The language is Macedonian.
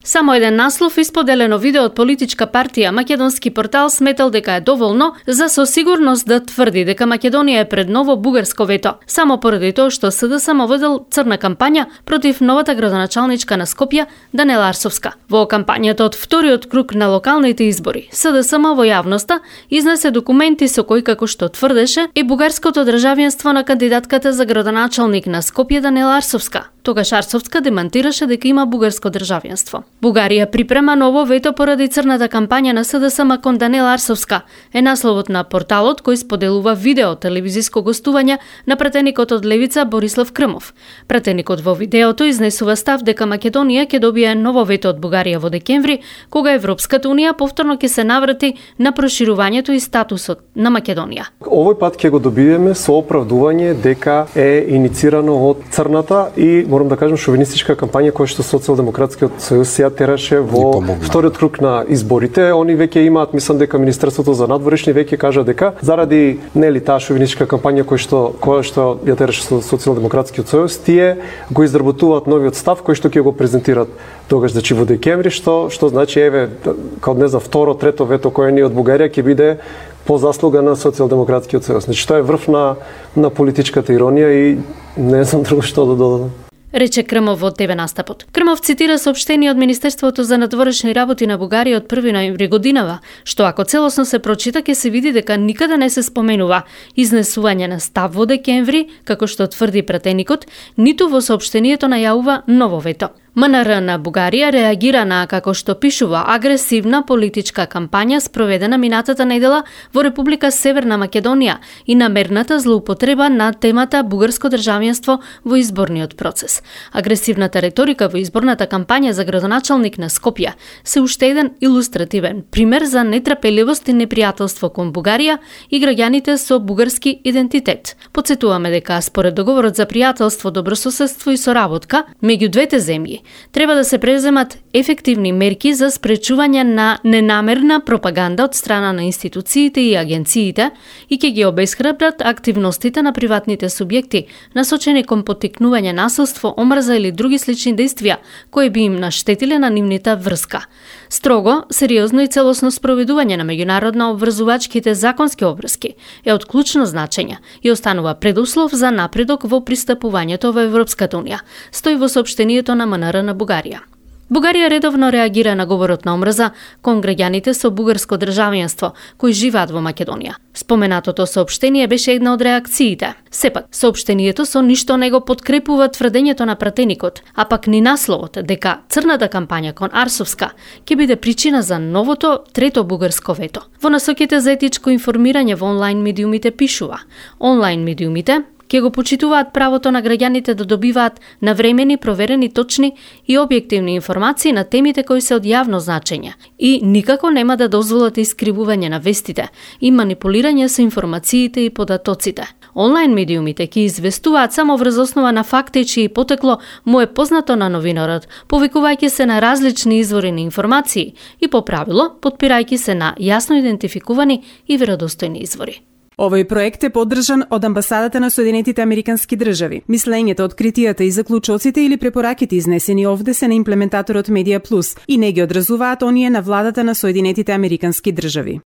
Само еден наслов исподелено видео од политичка партија македонски портал сметал дека е доволно за со сигурност да тврди дека Македонија е пред ново бугарско вето, само поради тоа што СДСМ водел црна кампања против новата градоначалничка на Скопје Даниела Арсовска. Во кампањата од вториот круг на локалните избори, СДСМ во јавноста изнесе документи со кои, како што тврдеше, и бугарското државенство на кандидатката за градоначалник на Скопје Даниела Арсовска. Тогаш Арсовска демантираше дека има бугарско државенство. Бугарија припрема ново вето поради црната кампања на СДСМ кон Даниела Арсовска, е насловот на порталот кој споделува видео телевизиско гостување на пратеникот од Левица Борислав Крмов. Пратеникот во видеото изнесува став дека Македонија ќе добие ново вето од Бугарија во декември, кога Европската унија повторно ќе се наврати на проширувањето и статусот на Македонија. Овој пат ќе го добиеме со оправдување дека е иницирано од црната и морам да кажам шовинистичка кампања која што Социјалдемократскиот сојуз ја тераше во вториот круг на изборите. Они веќе имаат, мислам дека Министерството за надворешни веќе кажа дека заради таа шовинистичка кампања која што ја тераше Социјалдемократскиот сојуз, тие го изработуваат новиот став кој што ќе го презентират тогаш во декември, што значи еве као второ, трето вето кое ни од Бугарија ќе биде по заслуга на Социјалдемократскиот сојуз. Значи тоа е врв на политичката иронија и не знам друго што да додадам, рече Крмов во ТВ настапот. Крмов цитира соопштение од Министерството за надворешни работи на Бугарија од 1 ноември годинава, што ако целосно се прочита ќе се види дека никаде не се споменува изнесување на став во декември, како што тврди пратеникот, ниту во соопштението најавува ново вето. МНР на Бугарија реагира на, како што пишува, агресивна политичка кампања спроведена минатата недела во Република Северна Македонија и намерната злоупотреба на темата бугарско државенство во изборниот процес. Агресивната реторика во изборната кампања за градоначалник на Скопје се уште еден илустративен пример за нетрпеливост и непријателство кон Бугарија и граѓаните со бугарски идентитет. Потсетуваме дека според договорот за пријателство, добрососедство и соработка меѓу двете земји треба да се преземат ефективни мерки за спречување на ненамерна пропаганда од страна на институциите и агенциите и ќе ги обесхрабрат активностите на приватните субјекти насочени кон поттикнување насилство, омрза или други слични дејствија кои би им наштетиле на нивната врска. Строго, сериозно и целосно спроведување на меѓународно обврзувачките законски обврски е од клучно значење и останува предуслов за напредок во пристапувањето во Европската унија, стои во соопштението на МНР на Бугарија. Бугарија редовно реагира на говорот на омрза кон граѓаните со бугарско државенство кои живеат во Македонија. Споменатото соопштение беше една од реакциите. Сепак, соопштението со ништо не го подкрепува тврдењето на пратеникот, а пак ни насловот дека црната кампања кон Арсовска ќе биде причина за новото трето бугарско вето. Во насоките за етичко информирање во онлайн медиумите пишува: онлайн медиумите ќе го почитуваат правото на граѓаните да добиваат навремени, проверени, точни и објективни информации на темите кои се од јавно значење и никако нема да дозволат искривување на вестите и манипулирање со информациите и податоците. Онлайн медиумите ќе известуваат само врз основа на факти чии потекло му е познато на новинарот, повикувајќи се на различни извори на информации и по правило потпирајќи се на јасно идентификувани и веродостојни извори. Овој проект е поддржан од Амбасадата на Соединетите Американски држави. Мислењето, откритијата и заклучоците или препораките изнесени овде се на имплементаторот Медија Плюс и не ги одразуваат оние на владата на Соединетите Американски држави.